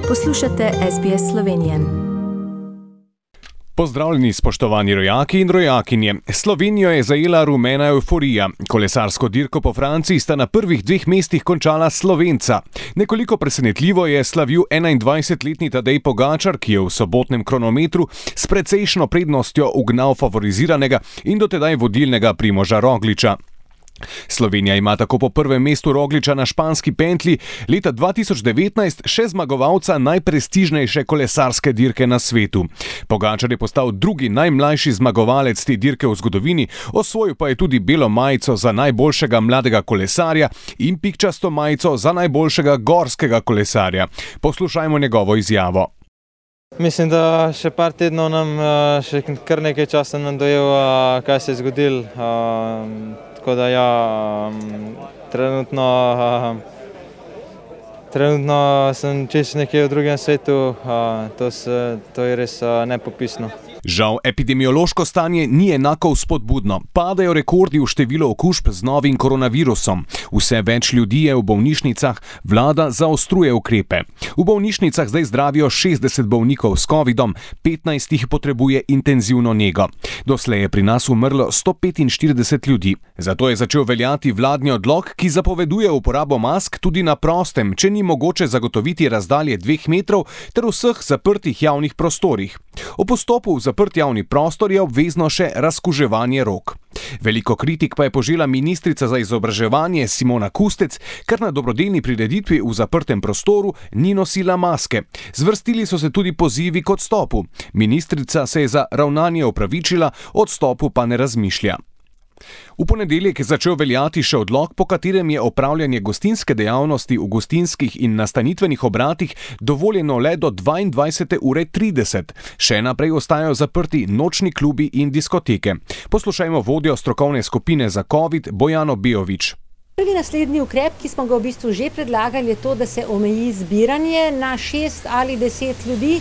Poslušate SBS Slovenije. Pozdravljeni, spoštovani rojaki in rojakinje. Slovenijo je zajela rumena evforija. Kolesarsko dirko po Franciji sta na prvih 2 mestih končala Slovenca. Nekoliko presenetljivo je slavil 21-letni Tadej Pogačar, ki je v sobotnem kronometru s precejšno prednostjo ugnal favoriziranega in dotedaj vodilnega Primoža Rogliča. Slovenija ima tako po prvem mestu Rogliča na španski pentlji leta 2019 še zmagovalca najprestižnejše kolesarske dirke na svetu. Pogačar je postal drugi najmlajši zmagovalec te dirke v zgodovini, osvojil pa je tudi belo majico za najboljšega mladega kolesarja in pikčasto majico za najboljšega gorskega kolesarja. Poslušajmo njegovo izjavo. Mislim, da še par tednov nam še kar nekaj časa nam dojel, kaj se je zgodilo. Tako da trenutno sem čisto nekje v drugem svetu, to je res nepopisno. Žal, epidemiološko stanje ni enako vzpodbudno. Padajo rekordi v številu okužb z novim koronavirusom. Vse več ljudi je v bolnišnicah, vlada zaostruje ukrepe. V bolnišnicah zdaj zdravijo 60 bolnikov s covidom, 15 jih potrebuje intenzivno nego. Doslej je pri nas umrlo 145 ljudi. Zato je začel veljati vladni odlok, ki zapoveduje uporabo mask tudi na prostem, če ni mogoče zagotoviti razdalje 2 metrov ter vseh zaprtih javnih prostorih. O postopu v zaprt javni prostor je obvezno še razkuževanje rok. Veliko kritik pa je požela ministrica za izobraževanje Simona Kustec, ker na dobrodelni prireditvi v zaprtem prostoru ni nosila maske. Zvrstili so se tudi pozivi k odstopu. Ministrica se je za ravnanje opravičila, o odstopu pa ne razmišlja. V ponedeljek je začel veljati še odlok, po katerem je opravljanje gostinske dejavnosti v gostinskih in nastanitvenih obratih dovoljeno le do 22:30. Še naprej ostajajo zaprti nočni klubi in diskoteke. Poslušajmo vodjo strokovne skupine za COVID Bojano Bejović. Prvi naslednji ukrep, ki smo ga v bistvu že predlagali, je to, da se omeji zbiranje na 6 ali 10 ljudi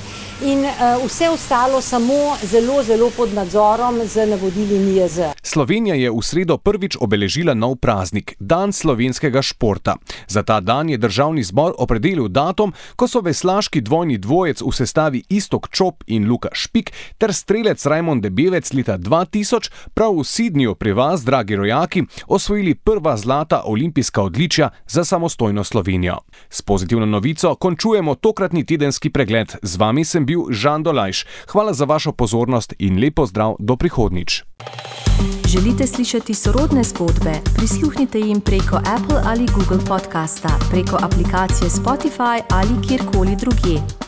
in vse ostalo samo zelo pod nadzorom z navodili NIJZ. Slovenija je v sredo prvič obeležila nov praznik, dan slovenskega športa. Za ta dan je državni zbor opredelil datum, ko so veslaški dvojni dvojec v sestavi Iztok Čop in Luka Špik ter strelec Rajmond Debevec leta 2000 prav v Sydneyju pri vas, dragi rojaki, osvojili prva zlata olimpijska odličja za samostojno Slovenijo. S pozitivno novico končujemo tokratni tedenski pregled. Z vami sem bil Žan Dolajš. Hvala za vašo pozornost in lep pozdrav do prihodnjič. Želite slišati sorodne zgodbe? Prisluhnite jim preko Apple ali Google podcasta, preko aplikacije Spotify ali kjerkoli drugje.